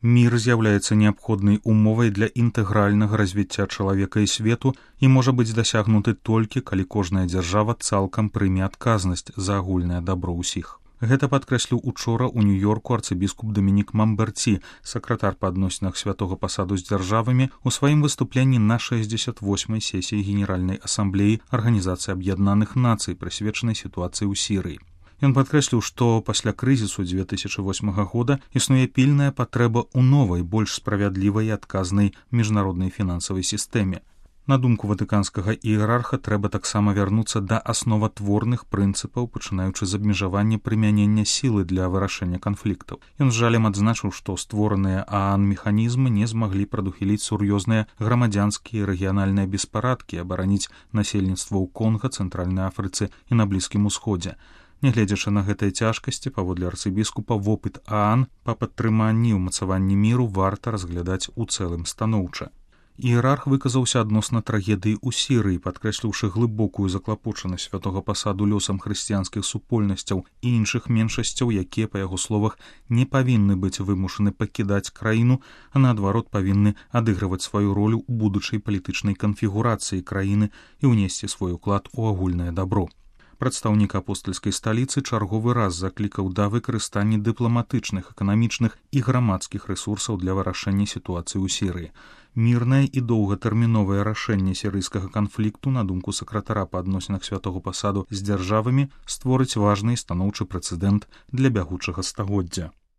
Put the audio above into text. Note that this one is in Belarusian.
Мір з'яўляецца неабходнай умовай для інтэгральнага развіцця чалавека і свету і можа быць дасягнуты толькі, калі кожная дзяржава цалкам прыме адказнасць за агульнае дабро ўсіх. Гэта падкрэсліў учора ў Нью-Йорку арцыбіскуп Дамінік Мамберці, сакратар па адносінах святога пасаду з дзяржавамі, у сваім выступленні на 68-й сесіі Генеральнай асамблеі Арганізацыі Аб'яднаных Нацый, прысвечанай сітуацыі ў Сірыі. Ён падкрэсліў, што пасля крызісу 2008 года існуе пільная патрэба ў новай, больш справядлівай і адказнай міжнароднай фінансавай сістэме. На думку ватыканскага іерарха, трэба таксама вярнуцца да асноватворных прынцыпаў, пачынаючы з абмежавання прымянення сілы для вырашэння канфліктаў. Ён з жалем адзначыў, што створаныя ААН механізмы не змаглі прадухіліць сур'ёзныя грамадзянскія і рэгіянальныя беспарадкі, абараніць насельніцтва ў Конга, Цэнтральнай Афрыцы і на Блізкім Усходзе. Нягледзячы на гэтыя цяжкасці, паводле арцыбіскупа, вопыт ААН па падтрыманні і ўмацаванні міру варта разглядаць у цэлым станоўча. Іерарх выказаўся адносна трагедыі ў Сірыі, падкрэсліўшы глыбокую заклапочанасць святога пасаду лёсам хрысціянскіх супольнасцяў і іншых меншасцяў, якія, па яго словах, не павінны быць вымушаны пакідаць краіну, а наадварот павінны адыгрываць сваю ролю ў будучай палітычнай канфігурацыі краіны і ўнесці свой уклад у агульнае дабро. Прадстаўнік апостальскай сталіцы чарговы раз заклікаў да выкарыстання дыпламатычных, эканамічных і грамадскіх рэсурсаў для вырашэння сітуацыі ў Сірыі. Мірнае і доўгатэрміновае рашэнне сірыйскага канфлікту, на думку сакратара па адносінах святога пасаду з дзяржавамі, створыць важны і станоўчы прэцэдэнт для бягучага стагоддзя.